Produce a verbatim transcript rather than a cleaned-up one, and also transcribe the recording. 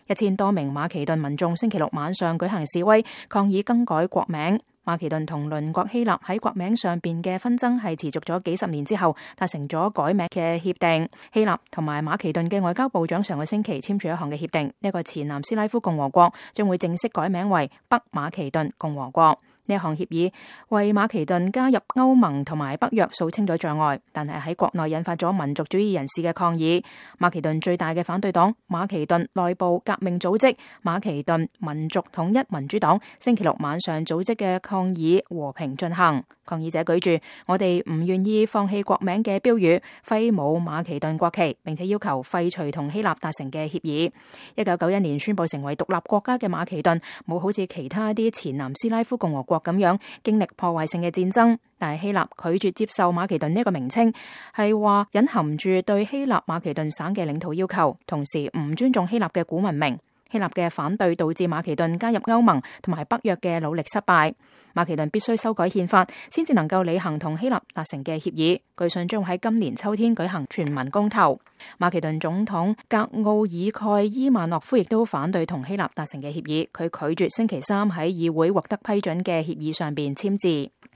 一千多名馬其頓民眾星期六晚上舉行示威，抗議更改國名。馬其頓同鄰國希臘喺國名上邊嘅紛爭係持續咗幾十年之後達成咗改名嘅協定。希臘同埋馬其頓嘅外交部長上個星期簽署一項嘅協定，呢、這個前南斯拉夫共和國將會正式改名為北馬其頓共和國。呢一項協議為馬其頓加入歐盟同埋北約掃清咗障礙，但係喺國內引發咗民族主義人士嘅抗議。馬其頓最大嘅反對黨馬其頓內部革命組織馬其頓民族統一民主黨星期六晚上組織嘅抗議和平進行。抗議者舉住我哋唔願意放棄國名嘅標語，揮舞馬其頓國旗，並且要求廢除同希臘達成嘅協議。一九九一年宣布成為獨立國家嘅馬其頓冇好似其他啲前南斯拉夫共和國咁樣經歷破壞性嘅戰爭，但係希臘拒絕接受馬其頓呢個名稱，係話隱含住對希臘馬其頓省嘅領土要求，同時唔尊重希臘嘅古文明。希臘嘅反對導致馬其頓加入歐盟同埋北約嘅努力失敗。馬其頓必須修改憲法，先至能夠履行同希臘達成嘅協議。據信將喺今年秋天舉行全民公投。馬其頓總統格奧爾蓋伊曼諾夫亦都反對同希臘達成嘅協議，佢拒絕星期三喺議會獲得批准嘅協議上邊簽字。